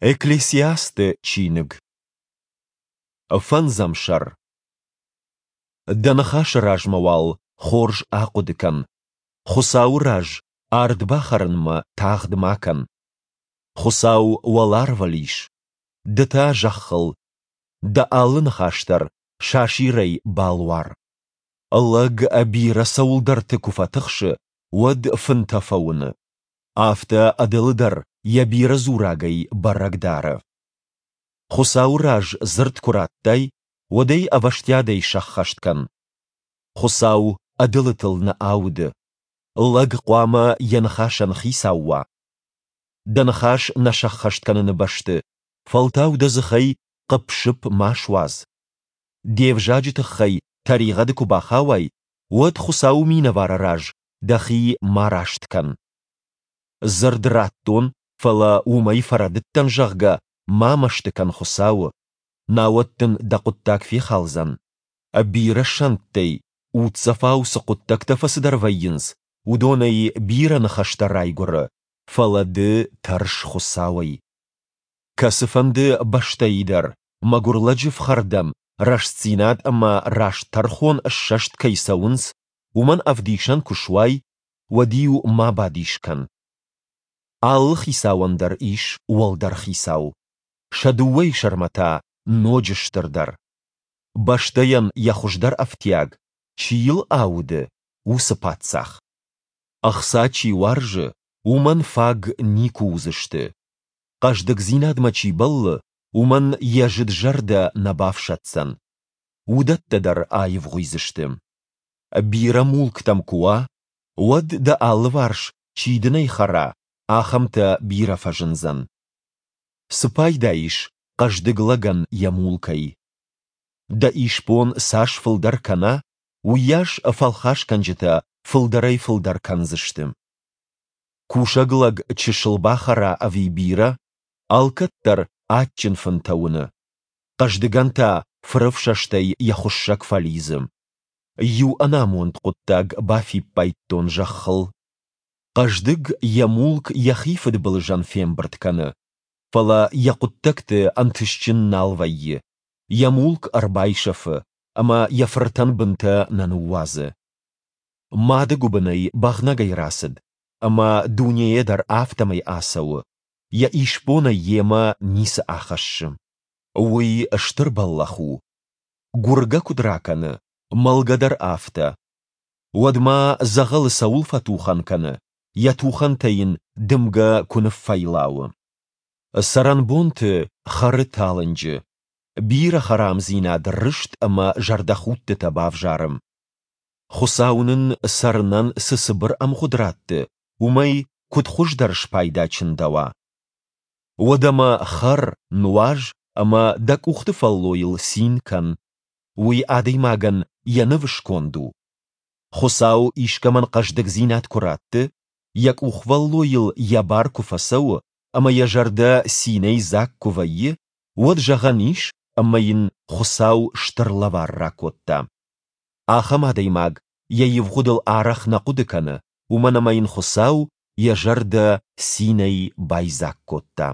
Экклесиасты чиныг. Фӕндзӕм сӕр. Дӕ ныхасы размӕ уал хорз ахъуыды кӕн. Хуыцауы раз ард бахӕрынмӕ тагъд ма кӕн. Хуыцау уӕларвыл ис, ды та зӕххыл. Дӕ алы ныхас дӕр сасирӕй балуар. Лӕг бирӕ цӕуылдӕрты куы фӕтыхсы, уӕд фынтӕ фӕуыны. Афтӕ ӕдылы дӕр йӕ бирӕ дзурагӕй бӕрӕг дары. Хуыцауы раз дзырд куы радтай, уӕд ӕй ӕвӕстиатӕй сӕххӕст кӕн. Хуыцау ӕдылытыл нӕ ауды. Лӕг хъуамӕ йӕ ныхасӕн хицау уа. Дӕ ныхас нӕ сӕххӕст кӕныны бӕсты, фӕлтау дӕ дзыхӕй хъыпп-сыпп ма суадз. Де взаджы тыххӕй тӕригъӕды куы бахауай, уӕд Хуыцауы минӕвары раз дӕхи ма раст кӕн. Дзырд радтон, фӕлӕ уымӕй фӕрӕдыдтӕн, зӕгъгӕ, ма мӕсты кӕн Хуыцауы, науӕд дын дӕ хъуыддаг фехалдзӕн. Бирӕ сӕнттӕй, уддзӕфау цы хъуыддӕгтӕ фӕцыдӕр вӕййынц, уыдонӕй бирӕ ныхӕстӕ райгуыры, фӕлӕ ды тӕрс Хуыцауӕй. Кӕцыфӕнды бӕстӕйы дӕр мӕгуыр лӕджы фхӕрдӕн рӕстдзинад ӕмӕ раст тӕрхон ссӕст кӕй цӕуынц, уымӕн ӕвдисӕн куы суай, уӕд-иу ма бадис кӕн. Алы хицауӕн дӕр ис уӕлдӕр хицау, сӕ дыууӕйы сӕрмӕ та ноджы стырдӕр. Бӕстӕйӕн йӕ хуыздӕр ӕфтиаг, чи йыл ауды, уыцы паддзах. Ӕхца чи уарзы, уымӕн фаг никуы уыдзысты. Хъӕздыгдзинадмӕ чи бӕллы, уымӕн йӕ зыд зӕрдӕ нӕ бафсӕддзӕн. Уыдӕттӕ дӕр аивгъуыйдзысты. Бирӕ мулк дӕм куы уа, уӕд дӕ алыварс, чи дын ӕй хӕра, ахӕмтӕ бирӕ фӕзындзӕн. Цы пайда ис хъӕздыг лӕгӕн йӕ мулкӕй? Дӕ исбон цас фылдӕр кӕна, уыйас фӕлхасгӕнджытӕ фылдӕрӕй-фылдӕр кӕндзысты. Кусӕг лӕг чысыл бахӕра ӕви бирӕ, алкӕддӕр адджын фынтӕ уыны. Хъӕздыгӕн та фырӕфсӕстӕй йӕ хуыссӕг фӕлидзы. Иу ӕнамонд хъуыддаг бафиппайдтон зӕххыл. Хъӕздыг йӕ мулк йӕхи фыдбылызӕн фембырд кӕны, фӕлӕ йӕ хъуыддӕгты ӕнтыстджын нал вӕййы, йӕ мулк ӕрбайсӕфы ӕмӕ йӕ фыртӕн бынтӕ нӕ ныууадзы. Мады гуыбынӕй бӕгънӕгӕй рацыд ӕмӕ дунейӕ дӕр афтӕмӕй ацӕуы, йӕ исбонӕй йемӕ ницы ахӕссы. Уый стыр бӕллӕх у. Гуыргӕ куыд ракӕны, мӕлгӕ дӕр афтӕ. Уӕд ма дзӕгъӕлы цӕуыл фӕтухӕн кӕны, йӕ тухӕнтӕ йын дымгӕ куы ныффӕйлауы. Цӕрӕнбонты хӕры талынджы, бирӕ хӕрамдзинад, рыст ӕмӕ зӕрдӕхудтытӕ бавзары. Хуыцау нын цӕрынӕн цы цыбыр ӕмгъуыд ратты, уымӕй куыд хуыздӕр спайда чындӕуа? Уӕдӕмӕ хӕр, нуаз ӕмӕ дӕ къухты фӕллойыл цин кӕн. Уый адӕймагӕн йӕ нывы сконд у. Хуыцау искӕмӕн хъӕздыгдзинад куы ратты, йӕ къухвӕллойыл йӕ бар куы фӕцӕуы ӕмӕ йӕ зӕрдӕ цинӕй дзаг куы вӕййы, уӕд зӕгъӕн ис, ӕмӕ йын Хуыцау стыр лӕвар ракодта. Ахӕм адӕймаг йӕ ивгъуыдыл арӕх нӕ хъуыды кӕны, уымӕн ӕмӕ йын Хуыцау йӕ зӕрдӕ цинӕй байдзаг кодта.